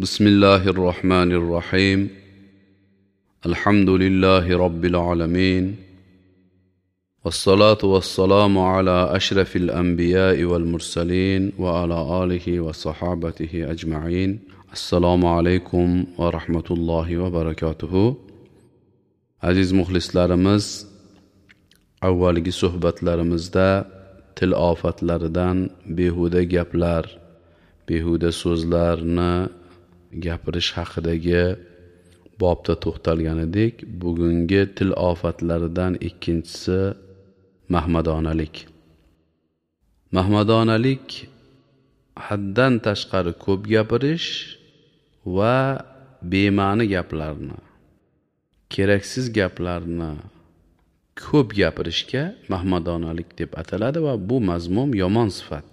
بسم الله الرحمن الرحيم. الحمد لله رب العالمين، والصلاة والسلام على أشرف الأنبياء والمرسلين وعلى آله وصحابته أجمعين. السلام عليكم ورحمة الله وبركاته. Aziz muxlislarimiz, avvalgi suhbatlarimizda til ofatlaridan behuda gaplar, behuda so'zlarni gapirish haqidagi bobda to'xtalgan edik. Bugungi til ofatlaridan ikkinchisi mahmadonalik. Mahmadonalik haddan tashqari ko'p gapirish va bema'ni gaplarni, keraksiz gaplarni ko'p gapirishga mahmadonalik deb ataladi va bu mazmum yomon sifat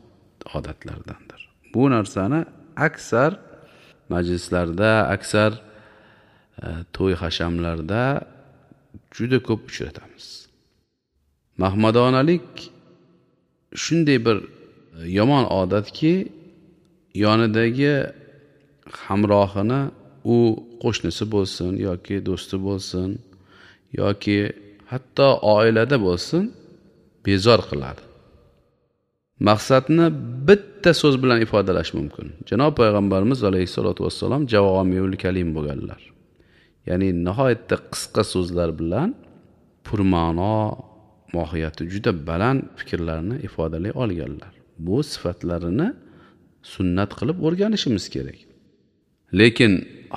odatlardandir. Bu narsani aksar majlislarda, aksar to'y hashamlarda juda ko'p uchratamiz. Mahmadonalik shunday bir yomon odatki, yonidagi hamrohini, u qo'shnisi bo'lsin yoki do'sti bo'lsin yoki hatto oilada bo'lsin, bezor qiladi. Maqsadni bitta so'z bilan ifodalash mumkin. Janob payg'ambarimiz alayhisolatu vassalom javomiul kalim bo'lganlar. Ya'ni nihoyatda qisqa so'zlar bilan purma'no, mohiyati juda baland fikrlarni ifodalay olganlar. Bu sifatlarini sunnat qilib o'rganishimiz kerak. Lekin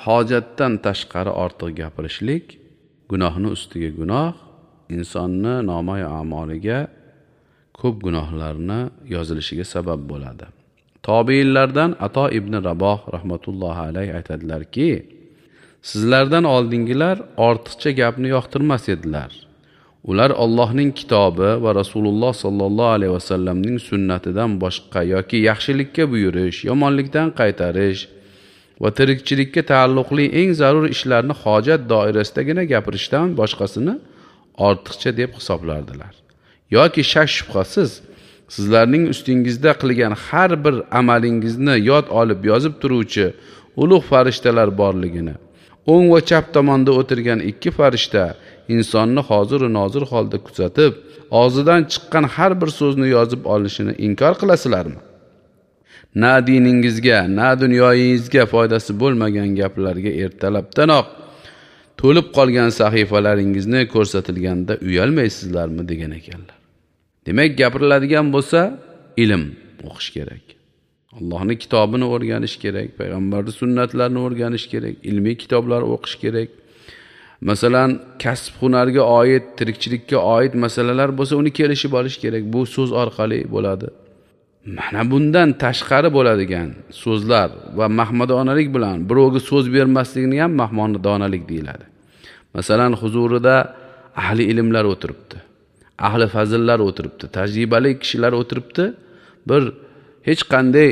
hojatdan tashqari ortiq gapirishlik gunohni ustiga gunoh, insonni nomai a'moliga ko'p gunohlarni yozilishiga sabab bo'ladi. Tobiinlardan Ato ibn Raboh rahmatullohi alayhi aytadilarki, sizlardan oldingilar ortiqcha gapni yoqtirmas edilar. Ular Allohning kitobi va Rasululloh sallallohu alayhi vasallamning sunnatidan boshqa yoki yaxshilikka buyurish, yomonlikdan qaytarish va tirikchilikka taalluqli eng zarur ishlarni hojat doirasidagina gapirishdan boshqasini ortiqcha deb hisoblardilar. Yoki shak shubhasiz sizlarning ustingizda qilgan har bir amalingizni yod olib yozib turuvchi ulug' farishtalar borligini, o'ng va chap tomonda o'tirgan ikki farishta insonni hozir va nozir holda kuzatib, og'zidan chiqqan har bir so'zni yozib olishini inkor qilasizlarmi? Na diningizga, na dunyoyingizga foydasi bo'lmagan gaplarga ertalabdanoq to'lib qolgan sahifalaringizni ko'rsatilganda uyalmaysizlarmi degan ekanlar. Demak, gapiriladigan bo'lsa ilm o'qish kerak. Allohning kitobini o'rganish kerak, payg'ambarning sunnatlarini o'rganish kerak, ilmiy kitoblar o'qish kerak. Masalan, kasb hunarga oid, tirikchilikka oid masalalar bo'lsa, uni kelishib olish kerak. Bu so'z orqali bo'ladi. Mana bundan tashqari bo'ladigan so'zlar va mahmadonalik bilan birovga so'z bermaslikni ham mahmadonalik deyiladi. Masalan, huzurida ahli ilmlar o'tiribdi, ahli fazillar o'tiribdi, tajribali kishilar o'tiribdi. Bir hech qanday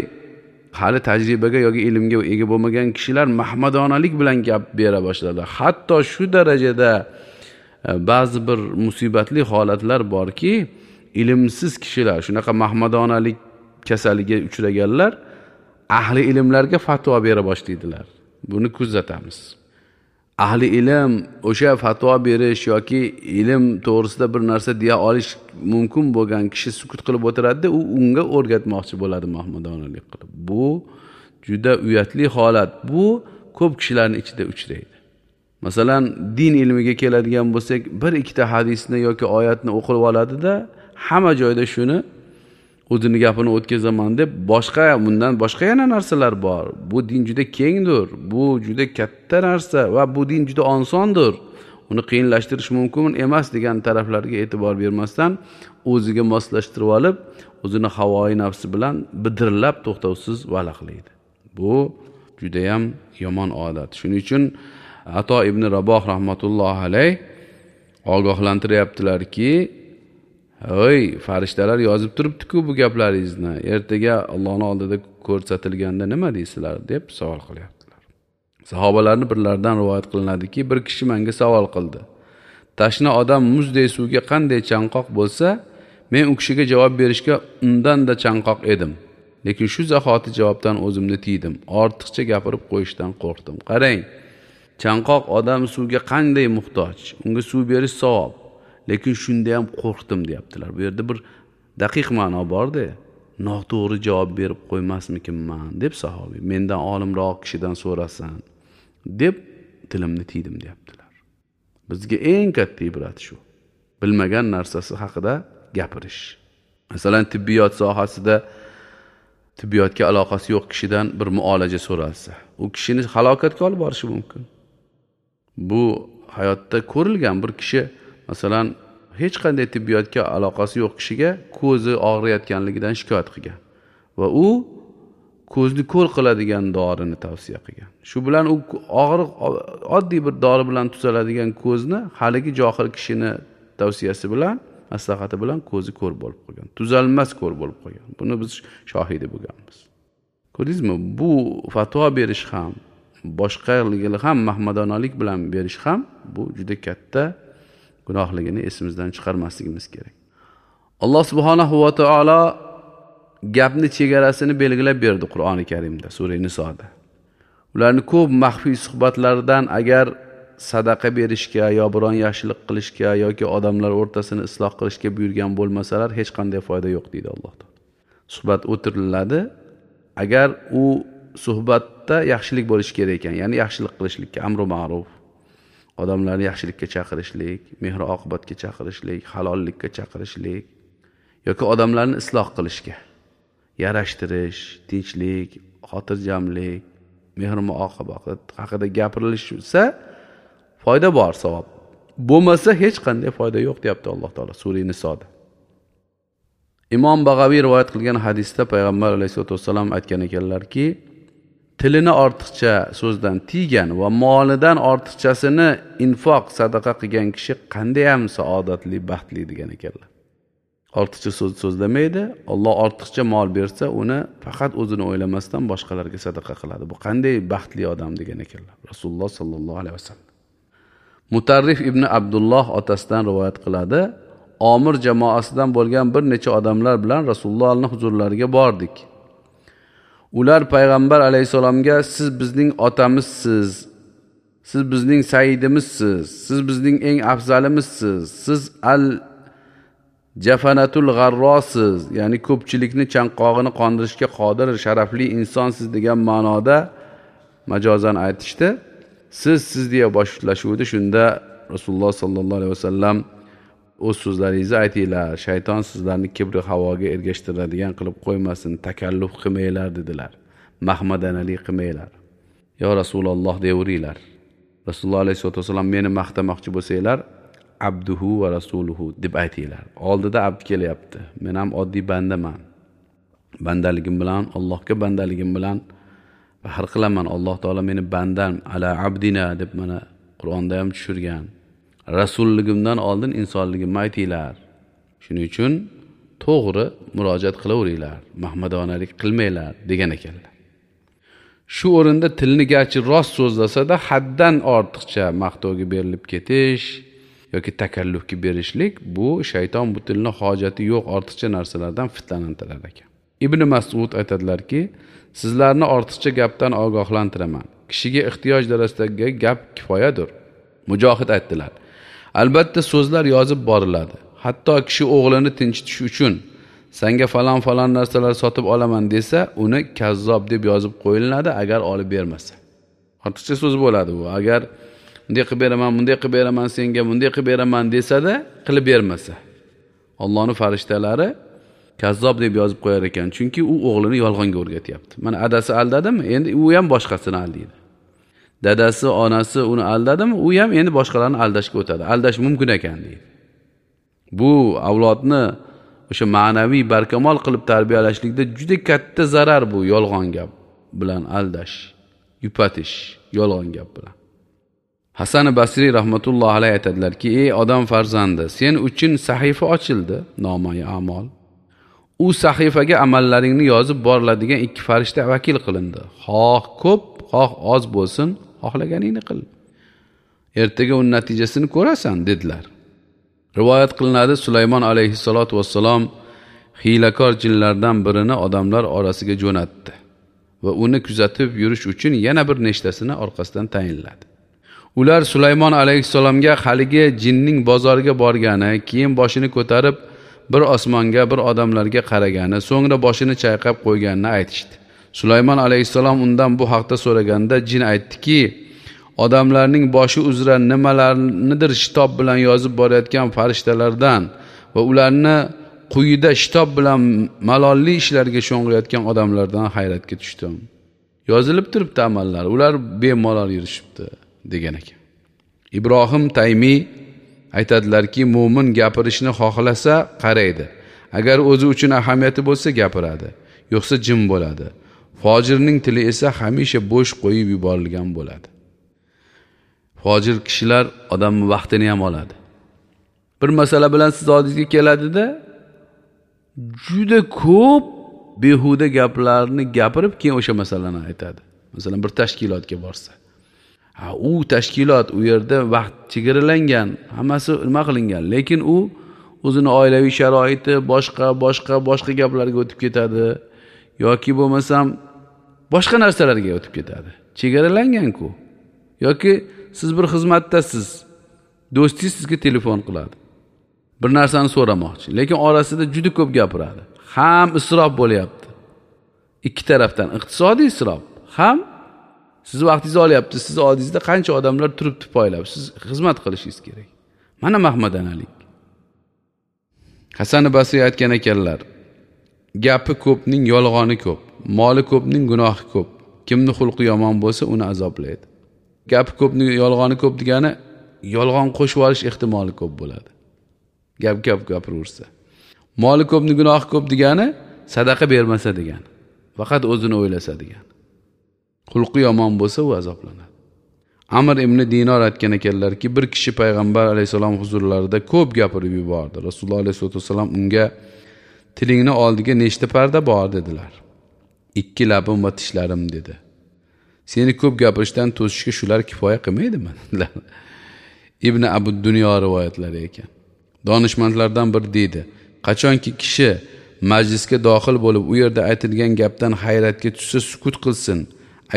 hali tajribaga yoki ilmga ega bo'lmagan kishilar mahmadonalik bilan gap bera boshladi. Hatto shu darajada ba'zi bir musibatli holatlar borki, ilmsiz kishilar, shunaqa mahmadonalik kasaliga uchraganlar ahli ilmlarga fatvo bera boshlaydilar. Buni kuzatamiz. Ahli ilm o'sha fatvo berish yoki ilm to'g'risida bir narsa deya olish mumkin bo'lgan kishi sukut qilib o'tiradi, u unga o'rgatmoqchi bo'ladi mahmadonalik qilib. Bu juda uyatli holat. Bu ko'p kishilarning ichida uchraydi. Masalan, din ilmiga keladigan bo'lsak, bir ikkita hadisni yoki oyatni o'qib oladida, hamma joyda shuni o'zini gapini o'tkazaman deb, boshqa bundan boshqa yana narsalar bor. Bu din juda kengdir, bu juda katta narsa va bu din juda osondir. Uni qiyinlashtirish mumkin emas degan taraflarga e'tibor bermasdan o'ziga moslashtirib olib, o'zini havoyi nafsi bilan bidirlab to'xtovsiz valaqlaydi. Bu juda ham yomon odat. Shuning uchun Ato ibn Raboh rahmatullohi alayh ogohlantiryaptilarki, "Ey, farishtalar yozib turibdi-ku bu gaplaringizni. Ertaga Allohning oldida ko'rsatilganda nima deysizlar?" deb savol qilyaptilar. Sahobalarning birlaridan rivoyat qilinadiki, bir kishi menga savol qildi. Tashna odam muzdek suvga qanday chanqoq bo'lsa, men u kishiga javob berishga undan-da chanqoq edim. Lekin shu zahoti javobdan o'zimni tiydim. Ortiqcha gapirib qo'yishdan qo'rqdim. Qarang, chanqoq odam suvga qanday muhtoj, unga suv berish savob. Lekin shunda ham qo'rqdim deyaptilar. Bu yerda bir daqiq ma'no bor-da. Noto'g'ri javob berib qo'ymasmikinman deb sahobiy, mendan olimroq kishidan so'rasin deb tilimni tiydim deyaptilar. Bizga eng katta ibrat shu. Bilmagan narsasi haqida gapirish. Masalan, tibbiyot sohasida tibbiyotga aloqasi yo'q kishidan bir muolaja so'ralsa, u kishini halokatga olib borishi mumkin. Bu hayotda ko'rilgan bir kishi, masalan, hech qanday tibbiyotga aloqasi yo'q kishiga ko'zi og'riyotganligidan shikoyat qilgan va u ko'zni ko'r qiladigan dorini tavsiya qilgan. Shu bilan u og'riq oddiy bir dori bilan tuzaladigan ko'zni haligi johil kishini tavsiyasi bilan, maslahati bilan ko'zi ko'r bo'lib qolgan. Tuzalmas ko'r bo'lib qolgan. Buni biz shohidi bo'lganmiz. Ko'rdingizmi? Bu fatvo berish ham, boshqaligini ham mahmadonalik bilan berish ham bu juda katta gunohligini esimizdan chiqarmasligimiz kerak. Alloh subhanahu va taolo gapni chegarasini belgilab berdi Qur'oni Karimda, sura Nisoda. Ularni ko'p maxfiy suhbatlardan agar sadaqa berishga yo biron yaxshilik qilishga yoki odamlar o'rtasini isloh qilishga buyurgan bo'lmasalar hech qanday foyda yo'q deydi Alloh taolo. Suhbat o'tiriladi. Agar u suhbatda yaxshilik bo'lishi kerak ekan, ya'ni yaxshilik qilishlikka amru ma'ruf, odamlarni yaxshilikka chaqirishlik, mehr oqibatga chaqirishlik, halollikka chaqirishlik yoki odamlarni isloh qilishga, yarashtirish, tinchlik, xotirjamlik, mehr muoqibat haqida gapirilishsa foyda bor, savob. Bo'lmasa hech qanday foyda yo'q deyapti Alloh taolo sura Nisoda. Imom Bag'aviy rivoyat qilgan hadisda payg'ambar alayhisolatu vassalam aytgan ekanlarki, tilini ortiqcha so'zdan tiygan va molidan ortiqchasini infoq, sadaqa qilgan kishi qanday ham saodatli, baxtli degan ekanlar. Ortiqcha so'z so'zlamaydi, Alloh ortiqcha mol bersa, uni faqat o'zini o'ylamasdan boshqalarga sadaqa qiladi. Bu qanday baxtli odam degan ekanlar Rasululloh sallallohu alayhi vasallam. Mutarrif ibn Abdulloh otasidan rivoyat qiladi. Omir jamoasidan bo'lgan bir necha odamlar bilan Rasulullohning huzurlariga bordik. Ular payg'ambar alayhisalomga siz bizning otamizsiz, siz bizning sayyidimizsiz, siz bizning eng afzalimizsiz, siz al jafanatul g'arrosiz, ya'ni ko'pchilikni chanqog'ini qondirishga qodir sharafli insonsiz degan ma'noda majozan aytishdi. Siz deya boshlashuvdi. Shunda Rasululloh sallallohu alayhi vasallam o'z so'zlaringizni aytinglar, shayton sizlarni kibri havoga ergashtiradigan qilib qo'ymasin, takalluf qilmanglar dedilar. Mahmadanalik qilmanglar. Yo Rasululloh deyaveringlar. Rasululloh alayhisolatu vasallam meni maqtamoqchi bo'lsanglar, abduhu va rasuluhu deb aytinglar. Oldida abd kelyapti. Men ham oddiy bandaman. Bandaligim bilan, Allohga bandaligim bilan faxr qilaman. Alloh taolo meni bandam ala abdina deb mana Qur'onda ham tushirgan. Rasulligimdan oldin insonligimni aytinglar. Shuning uchun to'g'ri murojaat qilaveringlar, mahmadonalik qilmanglar degan ekanlar. Shu o'rinda tilni garchi rost so'zlasa-da haddan ortiqcha maqtovga berilib ketish yoki takallufga berishlik, bu shayton bu tilni hojati yo'q ortiqcha narsalardan fitnalantirar ekan. Ibn Mas'ud aytadilarki, sizlarni ortiqcha gapdan ogohlantiraman. Kishiga ehtiyoj darajasidagi gap kifoyadir. Mujohid aytdilar: albatta so'zlar yozib boriladi. Hatto kishi o'g'lini tinchitish uchun senga falon falon narsalar sotib olaman desa, uni kazzob deb yozib qo'yiladi agar olib bermasa. Ortiqcha so'z bo'ladi bu. Agar bunday qilib beraman, bunday qilib beraman senga, bunday qilib beraman desa-da, qilib bermasa, Allohning farishtalari kazzob deb yozib qo'yar ekan, chunki u o'g'lini yolg'onga o'rgatyapti. Mana adasi aldadimi, endi u ham boshqasini aldaydi. Dadasi, onasi uni aldadimi, u ham endi boshqalarni aldashga o'tadi. Aldash mumkin ekan deydi. Bu avlodni o'sha ma'naviy barkamol qilib tarbiyalashlikda juda katta zarar bu yolg'on gap bilan aldash, yupatish yolg'on gap bilan. Hasan Basriy rahmatullohi alayhi aytadilarki, ey odam farzandi, sen uchun sahifa ochildi, nomai a'mol. U sahifaga amallaringni yozib boriladigan ikki farishta vakil qilindi. Xoh ko'p, xoh oz bo'lsin, xohlaganingni qil. Ertaga uning natijasini ko'rasan dedilar. Rivoyat qilinadi, Sulaymon alayhissalatu vassalom hiylakor jinlardan birini odamlar orasiga jo'natdi va uni kuzatib yurish uchun yana bir nechtasini orqasidan tayinladi. Ular Sulaymon alayhissalomga haligi jinning bozorga borgani, keyin boshini ko'tarib bir osmonga, bir odamlarga qaragani, so'ngra boshini chayqab qo'yganini aytishdi. Sulaymon alayhissalom undan bu haqda so'raganda jin aytdiki, odamlarning boshi uzra nimalarnidir shitob bilan yozib borayotgan farishtalardan va ularni quyida shitob bilan malolli ishlarga sho'ng'iyotgan odamlardan hayratga tushdim. Yozilib turibdi amallar, ular bemalol yurishibdi degan ekan. Ibrohim Taymiy aytadilarki, mo'min gapirishni xohlasa qaraydi. Agar o'zi uchun ahamiyati bo'lsa gapiradi, yo'qsa jim bo'ladi. Fojirning tili esa hamisha bo'sh qo'yib yuborilgan bo'ladi. Fojir kishilar odamning vaqtini ham oladi. Bir masala bilan siz oldingizga keladida, juda ko'p behuda gaplarni gapirib keyin o'sha masalani aytadi. Masalan, bir tashkilotga borsa, ha, u tashkilot u yerda vaqt chegaralangan, hammasi nima qilingan, lekin u o'zini oilaviy sharoiti, boshqa boshqa boshqa gaplarga o'tib ketadi yoki bo'lmasam boshqa narsalarga o'tib ketadi. Chegaralangan-ku. Yoki siz bir xizmatdasiz, do'stingiz sizga telefon qiladi. Bir narsani so'ramoqchi, lekin orasida juda ko'p gapiradi. Ham isrof bo'lyapti. Ikki tarafdan iqtisodiy isrof, ham siz vaqtingizni olyapti. Siz oldingizda qancha odamlar turibdi poylab, siz xizmat qilishingiz kerak. Mana mahmadanalik. Hasan Basriy aytgan ekanlar, gapi ko'pning yolg'oni ko'p, moli ko'pning gunohi ko'p. Kimni xulqi yomon bo'lsa, uni azoblaydi. Gapi ko'pning yolg'oni ko'p degani yolg'on qo'shib olish ehtimoli ko'p bo'ladi. Gap gap gapiraversa. Moli ko'pning gunohi ko'p degani sadaqa bermasa degani. Faqat o'zini o'ylasa degani. Xulqi yomon bo'lsa u azoblanadi. Amr ibn Dinor aytgan ekanlarki, bir kishi payg'ambar alayhisalom huzurlarida ko'p gapirib yubordi. Rasululloh alayhisolatu vasallam unga tilingni oldiga nechta parda bor dedilar. 2 labim va tishlarim dedi. Seni ko'p gapirishdan to'sishga shular kifoya qilmaydimi? Dedilar. Ibn Abu Dunyo rivoyatlari ekan. Donishmandlardan bir deydi, qachonki kishi majlisga daxil bo'lib u yerda aytilgan gapdan hayratga tushsa sukut qilsin.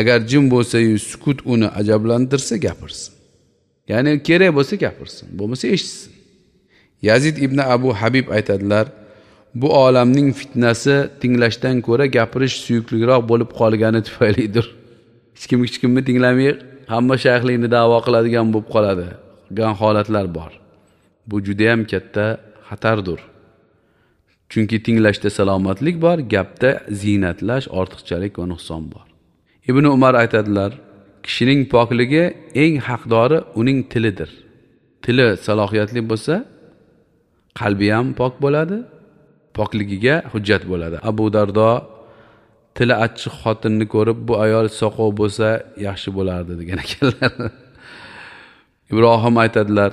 Agar jim bo'lsa-yu sukut uni ajablantirsa gapirsin. Ya'ni kerak bo'lsa gapirsin, bo'lmasa eshitsin. Yazid ibn Abu Habib aytadilar, bu olamning fitnasi tinglashdan ko'ra gapirish suyukliroq bo'lib qolgani tufaylidir. Hech kim hech kimni tinglamay, hamma shayxlikni da'vo qiladigan bo'lib qoladi degan holatlar bor. Bu juda ham katta xatardir. Chunki tinglashda salomatlik bor, gapda ziynatlash, ortiqchalik va nuqson bor. Ibn Umar aytadilar, kishining pokligi eng haqdori uning tilidir. Tili salohiyatli bo'lsa, qalbi ham pok bo'ladi, pokligiga hujjat bo'ladi. Abu Dardo tili achchiq xotinni ko'rib, bu ayol soqov bo'lsa yaxshi bo'lardi degan ekanlar. Ibrohim aytadilar,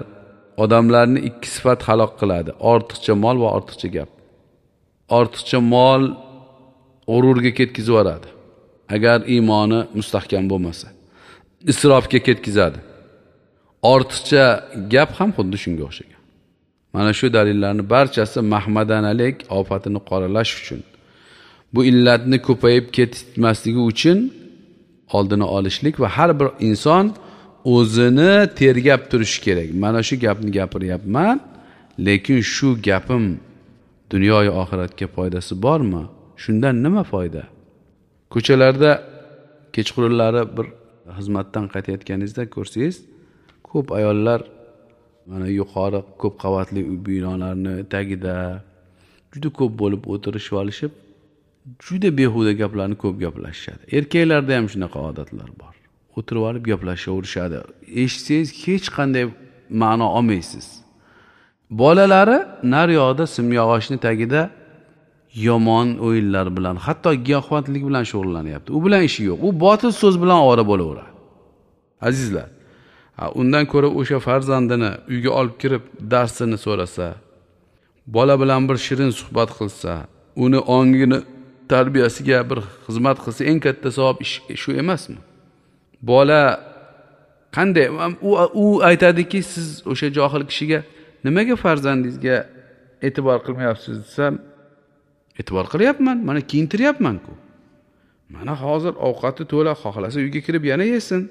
odamlarni ikki sifat halok qiladi: ortiqcha mol va ortiqcha gap. Ortiqcha mol g'ururga ketkizib yuboradi, agar iymoni mustahkam bo'lmasa. Isrofga ketkizadi. Ortiqcha gap ham xuddi shunga o'xshagan. Mana shu dalillarning barchasi mahmadanalik ofatini qoralash uchun, bu illatni ko'payib ketmasligi uchun oldini olishlik va har bir inson o'zini tergab turishi kerak. Mana shu gapni gapiryapman, lekin shu gapim dunyoyu oxiratga foydasi bormi? Shundan nima foyda? Ko'chalarda kechqurunlari bir xizmatdan qaytayotganingizda ko'rsangiz, ko'p ayollar mana yuqori ko'p qavatli uy binolarni tagida juda ko'p bo'lib o'tirishib olishib, juda behuda gaplarni ko'p gaplashishadi. Erkaklarda ham shunaqa odatlar bor. O'tirib olib gaplashaverishadi. Eshitsangiz hech qanday ma'no olmaysiz. Bolalari naryoqda simyog'ochning tagida yomon o'yinlar bilan, hatto giyohvandlik bilan shug'ullanyapti. U bilan ishi yo'q. U botil so'z bilan ovora bo'laveradi. Azizlar, undan ko'ra o'sha farzandini uyga olib kirib darsini so'rasa, bola bilan bir shirin suhbat qilsa, uni ongini tarbiyasiga bir xizmat qilsa, eng katta savob ish shu emasmi? Bola qanday u aytadiki, siz o'sha johil kishiga nimaga farzandingizga e'tibor qilmayapsiz desam, E'tibor qilyapman, mana kiyintiryapman-ku. Mana hozir ovqati to'la, xohlasa uyga kirib yana yesin.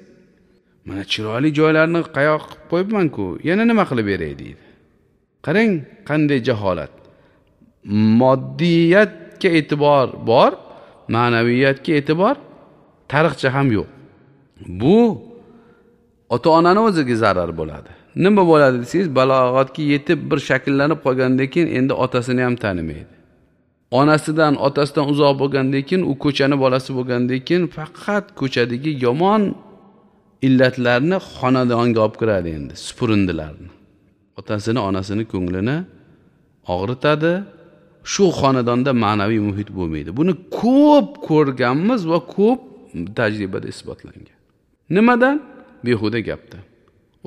Mana chiroyli joylarni qayoq qilib qo'yibman-ku, yana nima qilib beray deydi. Qarang, qanday jaholat. Moddiyatga e'tibor bor, ma'naviyatga e'tibor tariqcha ham yo'q. Bu ota-onani o'ziga zarar bo'ladi. Nima bo'ladi desangiz, balog'atga yetib bir shakllanib qolgandan keyin endi otasini ham tanimaydi. Onasidan, otasidan uzoq bo'lgandan keyin, u ko'chani bolasi bo'lgandan keyin faqat ko'chadagi yomon illatlarni xonadonga olib kiradi endi, supurindilarni. Otasini, onasini ko'nglini og'ritadi. Shu xonadonda ma'naviy muhit bo'lmaydi. Buni ko'p ko'rganmiz va ko'p tajribada isbotlangan. Nimadan? Behuda gapdan.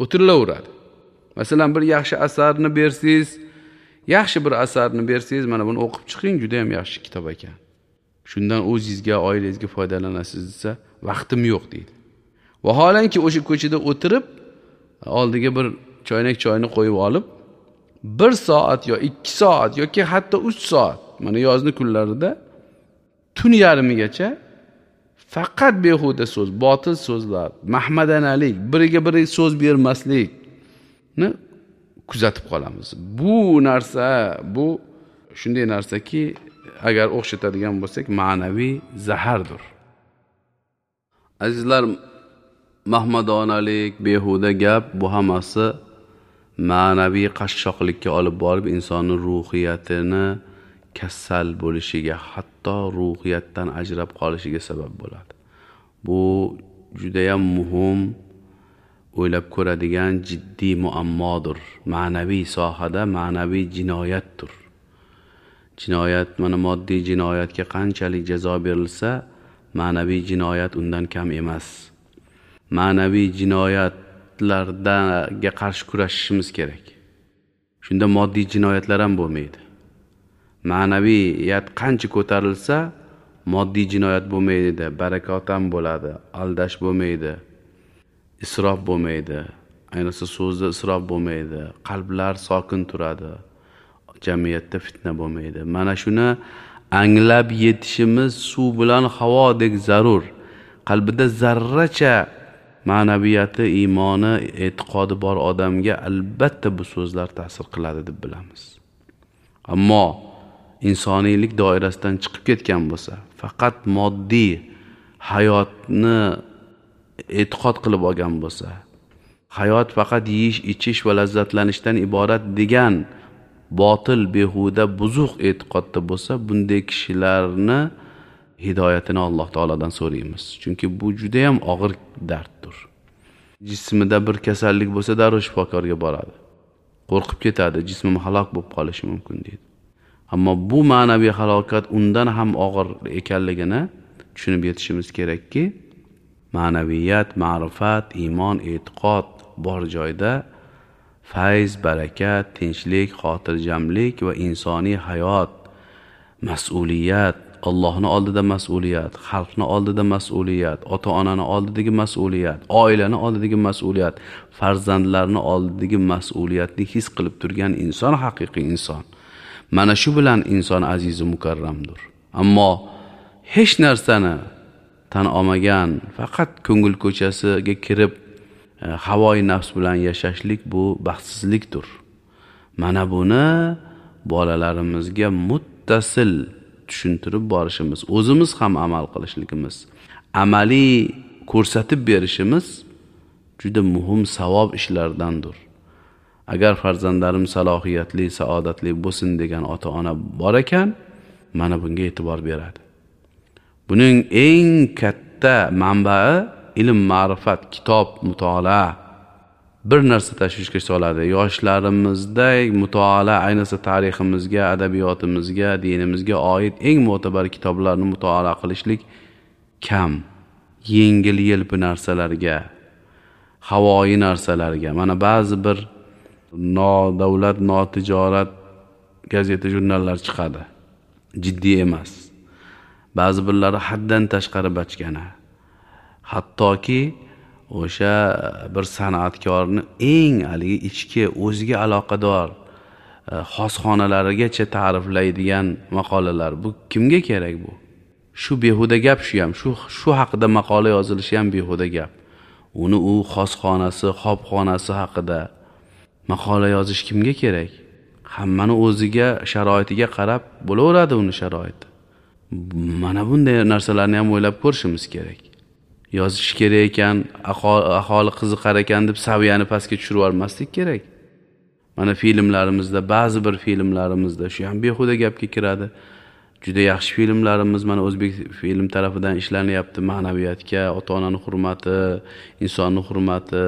O'tirilaveradi. Masalan, bir yaxshi asarni bersangiz, yaxshi bir asarni bersangiz, mana buni o'qib chiqing, juda ham yaxshi kitob ekan. Shundan o'zingizga, oilangizga foydalanasiz desa, vaqtim yo'q deydi. Vaholanki o'sha ko'chada o'tirib, oldiga bir choynak choyni qo'yib olib, 1 soat yo 2 soat yoki hatto 3 soat, mana yozni kunlarida tun yarmigacha faqat behuda so'z, botil so'zlar, mahmadanalik, biriga biri so'z bermaslikni kuzatib qolamiz. Bu narsa, bu shunday narsaki, agar o'xshatadigan bo'lsak, ma'naviy zahardir. Azizlar, mahmadonalik, behuda gap, bu hammasi ma'naviy qashshoqlikka olib borib, insonning ruhiyatini kasal bo'lishiga, hatto ruhiyatdan ajrab qolishiga sabab bo'ladi. Bu juda ham muhim, o'ylab ko'radigan jiddiy muammodir. Ma'naviy sohada ma'naviy jinoyatdir. Jinoyat, mana moddiy jinoyatga qanchalik jazo berilsa, ma'naviy jinoyat undan kam emas. Ma'naviy jinoyatlarga qarshi kurashishimiz kerak. Shunda moddiy jinoyatlar ham bo'lmaydi. Ma'naviyat qancha ko'tarilsa, moddiy jinoyat bo'lmaydi, barakot ham bo'ladi, aldash bo'lmaydi, isrof bo'lmaydi, ayniqsa so'zda isrof bo'lmaydi, qalblar sokin turadi, jamiyatda fitna bo'lmaydi. Mana shuni anglab yetishimiz suv bilan havodek zarur. Qalbida zarracha ma'naviyati, iymoni, e'tiqodi bor odamga albatta bu so'zlar ta'sir qiladi deb bilamiz. Ammo insoniylik doirasidan chiqib ketgan bo'lsa, faqat moddiy hayotni e'tiqod qilib olgan bo'lsa, hayot faqat yeyish, ichish va lazzatlanishdan iborat degan botil, behuda, buzuq e'tiqodda bo'lsa, bunday kishilarni hidoyatini Alloh taolodan so'raymiz. Chunki bu juda ham og'ir darddir. Jismida bir kasallik bo'lsa, darrov shifokorga boradi. Qo'rqib ketadi, jismim halok bo'lib qolishi mumkin deydi. Ammo bu ma'naviy halokat undan ham og'ir ekanligini tushunib yetishimiz kerakki, ma'naviyat, ma'rifat, iymon, e'tiqod bor joyda fayz, barakat, tinchlik, xotirjamlik va insoniy hayot, mas'uliyat, Allohning oldida mas'uliyat, xalqning oldida mas'uliyat, ota-onaning oldidagi mas'uliyat, oilaning oldidagi mas'uliyat, farzandlarning oldidagi mas'uliyatni his qilib turgan inson haqiqiy inson. Mana shu bilan inson aziz va mukarramdir. Ammo hech narsani tan olmagan, faqat ko'ngil ko'chasiga kirib havoi nafs bilan yashashlik bu baxtsizlikdir. Mana buni bolalarimizga muttasil tushuntirib borishimiz, o'zimiz ham amal qilishligimiz, amaliy ko'rsatib berishimiz juda muhim savob ishlardandir. Agar farzandlarim salohiyatli, saodatli bo'lsin degan ota-ona bor ekan, mana bunga e'tibor beradi. Buning eng katta manbai ilm, ma'rifat, kitob, mutolaa. Bir narsa tashvishga soladi. Yoshlarimizda mutolaa, ayniqsa tariximizga, adabiyotimizga, dinimizga oid eng mo'tabar kitoblarni mutolaa qilishlik kam. Yengil yelpi narsalarga, havoyi narsalarga, mana ba'zi bir nodavlat, notijorat gazeta, jurnallar chiqadi. Jiddiy emas. Ba'zi birlari haddan tashqari bachkana. Hattoki o'sha bir san'atkorni eng haligi ichki o'ziga aloqador xosxonalarigacha ta'riflaydigan maqolalar, bu kimga kerak bu? Shu behuda gap, shu ham, shu haqida maqola yozilishi ham behuda gap. Uni u xosxonasi, xobxonasi haqida maqola yozish kimga kerak? Hammani o'ziga, sharoitiga qarab bo'laveradi uni sharoiti. Mana bunday narsalarni ham o'ylab ko'rishimiz kerak. Yozish kerak ekan, aholi qiziqar ekan deb saviyani pastga tushirib yubormaslik kerak. Mana filmlarimizda, ba'zi bir filmlarimizda shu ham behuda gapga kiradi. Juda yaxshi filmlarimiz mana o'zbek film tarafidan ishlanyapti, ma'naviyatga, ota-onani hurmati, insonni hurmati,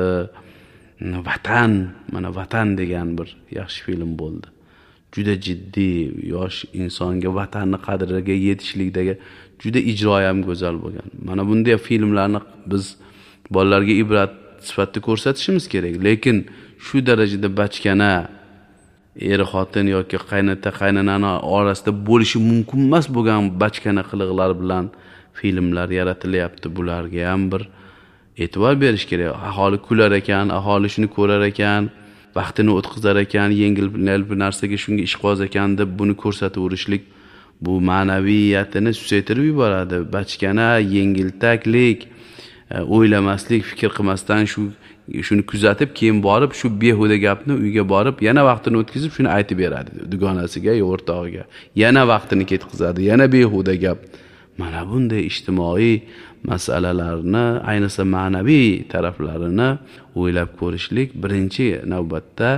vatan, mana Vatan degan bir yaxshi film bo'ldi. Juda jiddiy, yosh insonga vatanni qadriga yetishlikdagi juda ijroyi ham go'zal bo'lgan. Mana bunday filmlarni biz bolalarga ibrat sifatida ko'rsatishimiz kerak. Lekin shu darajada bachkana er xotin yoki qaynota qaynonani orasida bo'lishi mumkin emas bo'lgan bachkana qiliqlar bilan filmlar yaratilyapti. Bularga ham bir e'tibor berish kerak. Aholi kular ekan, aholi shuni ko'rar ekan, vaqtini o'tkazar ekan, yengil bir narsaga shunga ishqiboz ekan deb buni ko'rsataverishlik bu ma'naviyatini susaytirib yuboradi. Bachkana, yengiltaklik, o'ylamaslik, fikr qilmasdan shuni kuzatib, keyin borib shu behuda gapni uyga borib yana vaqtini o'tkazib shuni aytib beradi dugonasiga yo o'rtog'iga. Yana vaqtini ketkazadi, yana behuda gap. Mana bunday ijtimoiy masalalarni, ayniqsa ma'naviy taraflarini o'ylab ko'rishlik birinchi navbatda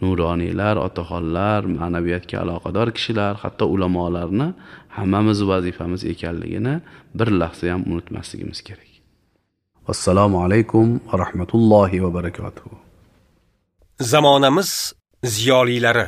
nuroniylar, otaxonlar, ma'naviyatga aloqador kishilar, hatto ulamolarni hammamiz vazifamiz ekanligini bir lahza ham unutmasligimiz kerak. Assalomu alaykum va rahmatullohi va barakatuh. Zamonamiz ziyolilari.